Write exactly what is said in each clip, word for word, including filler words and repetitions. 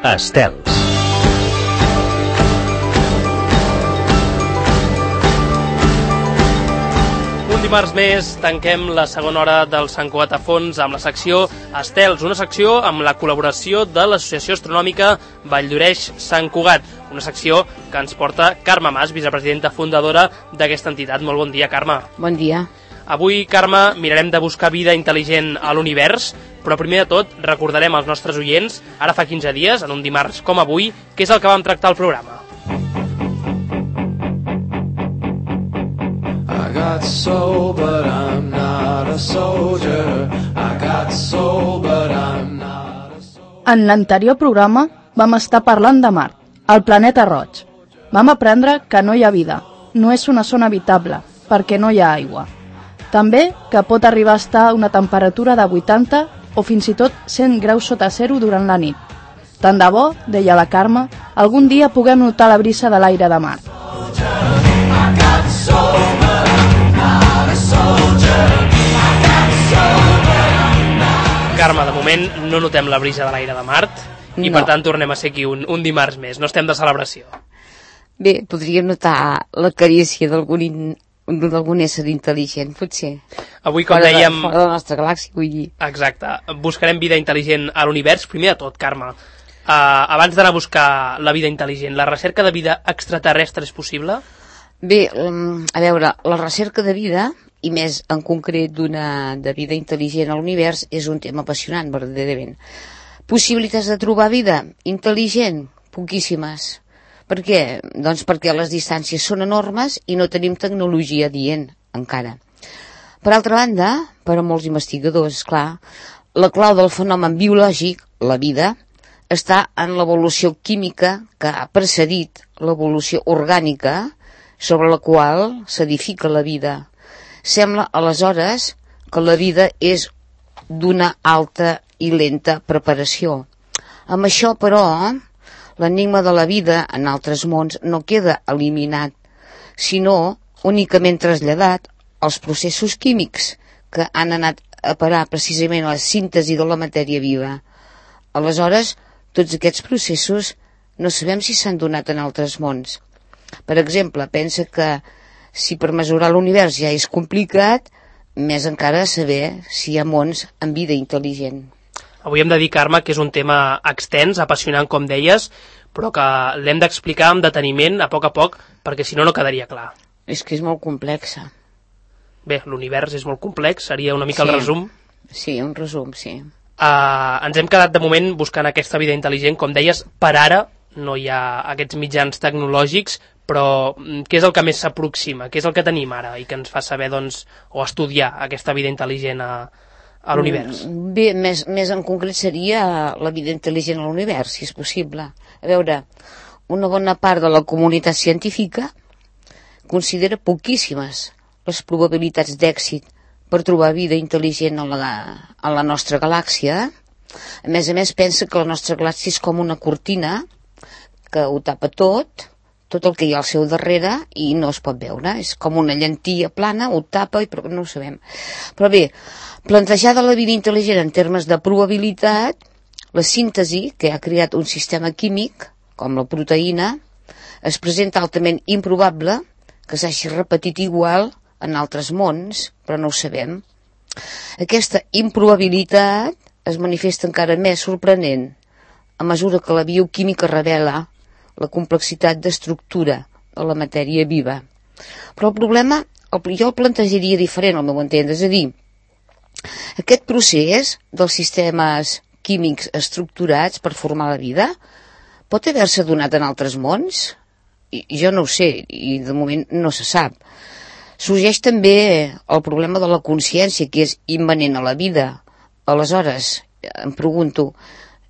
Estels. Un dimarts més tanquem la segona hora del Sant Cugat a fons amb la secció Estels, una secció amb la col·laboració de l'Associació Astronòmica Valldoreix-Sant Cugat, una secció que ens porta Carme Mas, vicepresidenta fundadora d'aquesta entitat. Molt bon dia, Carme. Bon dia. Avui, Carme, mirarem de buscar vida intel·ligent a l'univers, però primer de tot recordarem als nostres oients, ara fa quinze dies, en un dimarts com avui, què és el que vam tractar al programa. I got soul, but I'm not a soldier. I got soul, but I'm not a soldier. En l'anterior programa vam estar parlant de Mart, el planeta roig. Vam aprendre que no hi ha vida, no és una zona habitable, perquè no hi ha aigua. També que pot arribar a estar a una temperatura de vuitanta o fins i tot cent graus sota zero durant la nit. Tant de bo, deia la Carme, algun dia puguem notar la brisa de l'aire de Mart. Carme, de moment no notem la brisa de l'aire de Mart i No. per tant tornem a ser aquí un, un dimarts més, no estem de celebració. Bé, podríem notar la carícia d'algun in... d'algun ésser intel·ligent, potser. Avui, com Fora de- dèiem... Fora de la nostra galàxia, vull dir. Exacte, buscarem vida intel·ligent a l'univers. Primer de tot, Carme, uh, abans d'anar a buscar la vida intel·ligent, la recerca de vida extraterrestre és possible? Bé, um, a veure, la recerca de vida, i més en concret d'una de vida intel·ligent a l'univers, és un tema apassionant, verdaderament. Possibilitats de trobar vida intel·ligent? Poquíssimes. Per què? Doncs perquè les distàncies són enormes i no tenim tecnologia adient, encara. Per altra banda, per a molts investigadors, clar, la clau del fenomen biològic, la vida, està en l'evolució química que ha precedit l'evolució orgànica sobre la qual s'edifica la vida. Sembla, aleshores, que la vida és d'una alta i lenta preparació. Amb això, però, l'enigma de la vida en altres mons no queda eliminat, sinó únicament traslladat als processos químics que han anat a parar precisament a la síntesi de la matèria viva. Aleshores, tots aquests processos no sabem si s'han donat en altres mons. Per exemple, pensa que si per mesurar l'univers ja és complicat, més encara saber si hi ha mons amb vida intel·ligent. Avui hem de dir, Carme, que és un tema extens, apassionant, com deies, però que l'hem d'explicar amb deteniment, a poc a poc, perquè si no, no quedaria clar. És que és molt complexa. Bé, l'univers és molt complex, seria una mica Sí. el resum. Sí, un resum, sí. Uh, ens hem quedat de moment buscant aquesta vida intel·ligent, com deies, per ara no hi ha aquests mitjans tecnològics, però què és el que més s'aproxima? Què és el que tenim ara i que ens fa saber, doncs, o estudiar aquesta vida intel·ligent a, a l'univers? Bé, més, més en concret seria la vida intel·ligent a l'univers, si és possible. A veure, una bona part de la comunitat científica considera poquíssimes les probabilitats d'èxit per trobar vida intel·ligent a la, a la nostra galàxia. A més a més, pensa que la nostra galàxia és com una cortina que ho tapa tot, tot el que hi ha al seu darrere, i no es pot veure. És com una llantilla plana, ho tapa, i però no ho sabem. Però bé, plantejada la vida intel·ligent en termes de probabilitat, la síntesi, que ha creat un sistema químic, com la proteïna, es presenta altament improbable que s'hagi repetit igual en altres mons, però no ho sabem. Aquesta improbabilitat es manifesta encara més sorprenent a mesura que la bioquímica revela la complexitat d'estructura de la matèria viva. Però el problema, el, jo el plantejaria diferent, al meu entendre, és a dir, aquest procés dels sistemes químics estructurats per formar la vida pot haver-se donat en altres mons? I, jo no ho sé, i de moment no se sap. Sorgeix també el problema de la consciència, que és immanent a la vida. Aleshores, em pregunto,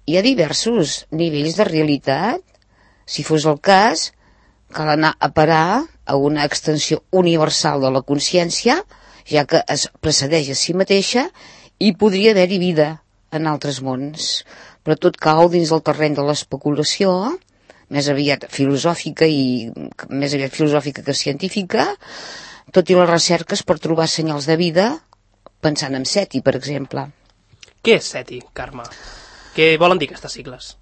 hi ha diversos nivells de realitat? Si fos el cas, cal anar a parar a una extensió universal de la consciència, ja que es precedeix a si mateixa, i podria haver-hi vida en altres mons. Però tot cau dins del terreny de l'especulació, més aviat filosòfica i més aviat filosòfica que científica, tot i les recerques per trobar senyals de vida, pensant en SETI, per exemple. Què és SETI, Carme? Què volen dir aquestes sigles?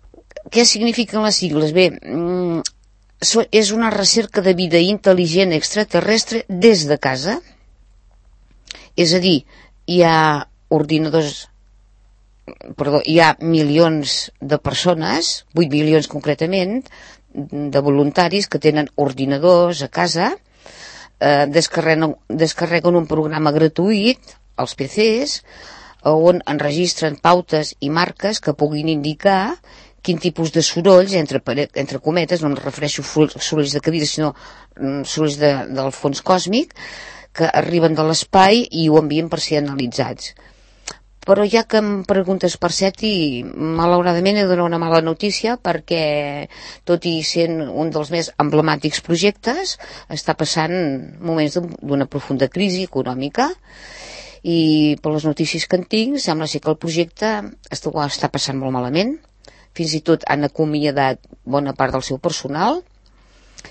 què signifiquen les sigles? Bé, mm, so, és una recerca de vida intel·ligent extraterrestre des de casa. És a dir, hi ha ordinadors, perdó, hi ha milions de persones, vuit milions concretament, de voluntaris que tenen ordinadors a casa, eh, descarreguen, descarreguen un programa gratuït als P Cs on enregistren pautes i marques que puguin indicar quin tipus de sorolls, entre, entre cometes, no em refereixo a sorolls de cadira, sinó sorolls de, del fons còsmic, que arriben de l'espai i ho envien per ser analitzats. Però ja que em preguntes per SETI, malauradament he de donar una mala notícia, perquè tot i sent un dels més emblemàtics projectes, està passant moments d'una profunda crisi econòmica, i per les notícies que en tinc sembla ser que el projecte està, està passant molt malament. Fins i tot han acomiadat bona part del seu personal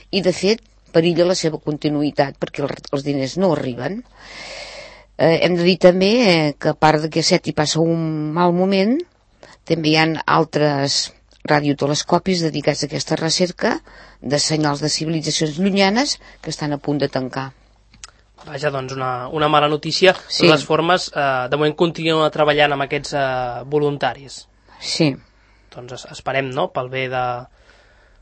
i de fet perilla la seva continuïtat perquè els diners no arriben. Eh, hem de dir també eh, que a part que SETI passa un mal moment, també hi ha altres radiotelescopis dedicats a aquesta recerca de senyals de civilitzacions llunyanes que estan a punt de tancar. Vaja, doncs una, una mala notícia. Sí. De les formes, eh, de moment continua treballant amb aquests eh, voluntaris. Sí. Doncs esperem, no?, pel bé de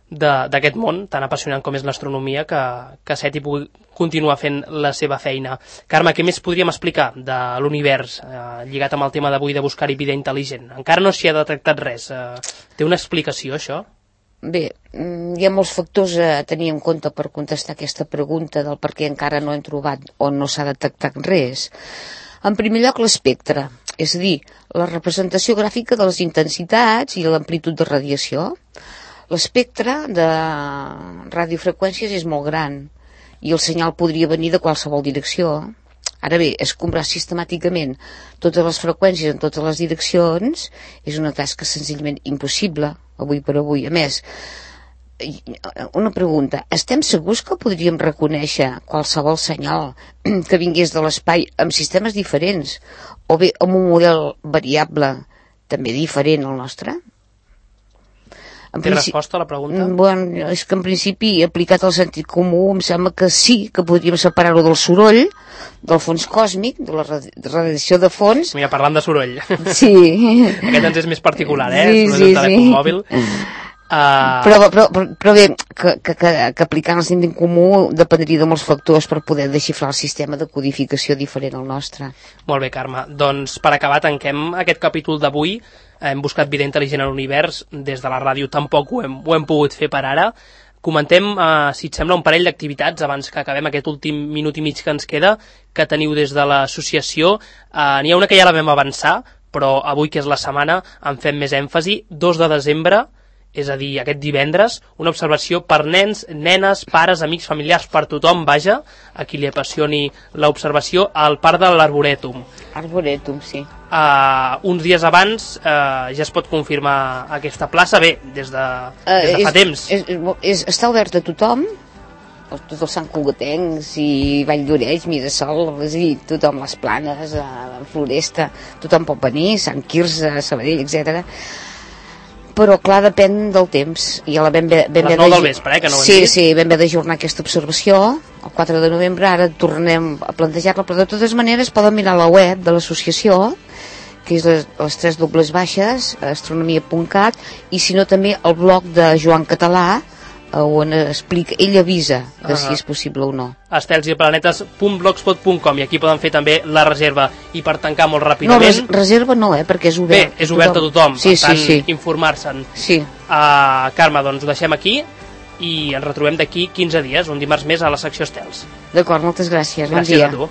d'aquest món tan apassionant com és l'astronomia, que, que SETI pugui continuar fent la seva feina. Carme, què més podríem explicar de l'univers eh, lligat amb el tema d'avui de buscar-hi vida intel·ligent? Encara no s'hi ha detectat res. Eh, té una explicació, això? Bé, hi ha molts factors a tenir en compte per contestar aquesta pregunta del per què encara no hem trobat o no s'ha detectat res. En primer lloc, l'espectre, és a dir, la representació gràfica de les intensitats i l'amplitud de radiació. L'espectre de radiofreqüències és molt gran i el senyal podria venir de qualsevol direcció. Ara bé, escombrar sistemàticament totes les freqüències en totes les direccions és una tasca senzillament impossible, avui per avui. A més, una pregunta, estem segurs que podríem reconèixer qualsevol senyal que vingués de l'espai amb sistemes diferents o bé amb un model variable també diferent al nostre? En Té resposta a la pregunta? Bueno, és que en principi, aplicat al sentit comú, em sembla que sí, que podríem separar-ho del soroll, del fons còsmic, de la radiació de fons. Mira, parlant de soroll. Sí. Aquest ens és més particular, eh? Sí, soroll sí, del telèfon sí. mòbil. Uh... Però, però, però, però bé, que, que, que, que aplicant el sentit comú dependria de molts factors per poder desxifrar el sistema de codificació diferent al nostre. Molt bé, Carme. Doncs per acabar tanquem aquest capítol d'avui. Hem buscat vida intel·ligent a l'univers. Des de la ràdio tampoc ho hem, ho hem pogut fer per ara. Comentem, eh, si et sembla, un parell d'activitats abans que acabem aquest últim minut i mig que ens queda, que teniu des de l'associació. Eh, N'hi ha una que ja la vam avançar, però avui, que és la setmana, en fem més èmfasi. dos de desembre, és a dir, aquest divendres, una observació per nens, nenes, pares, amics, familiars, per tothom, vaja, a qui li apassioni l'observació, al Parc de l'Arborètum. Arborètum, sí. Uh, uns dies abans uh, ja es pot confirmar aquesta plaça, bé, des de, uh, des de fa és, temps. És, és, està obert a tothom, tots els santcugatencs i Vall d'Oreix, Mirasol, és a dir, tothom, les Planes, la Floresta, tothom pot venir, Sant Quirze, Sabadell, etcètera. Però clar, depèn del temps. I a la ben bé, ben a les nou del vespre, eh, que no ho hem sí, dit. Sí, ben bé d'ajornar aquesta observació el quatre de novembre, ara tornem a plantejar-la, però de totes maneres poden mirar la web de l'associació, que és les, les tres dobles baixes, astronomia punt cat, i si no també el blog de Joan Català, on explica, ell avisa de uh -huh. si és possible o no. estels i planetes punt blogspot punt com, i aquí poden fer també la reserva. I per tancar molt ràpidament... No, res, reserva no, eh, perquè és obert. Bé, és obert a tothom, sí, per tant, sí, sí. informar-se'n. Sí. Uh, Carme, doncs ho deixem aquí i ens retrobem d'aquí quinze dies, un dimarts més a la secció Estels. D'acord, moltes gràcies. Gràcies bon dia. a tu.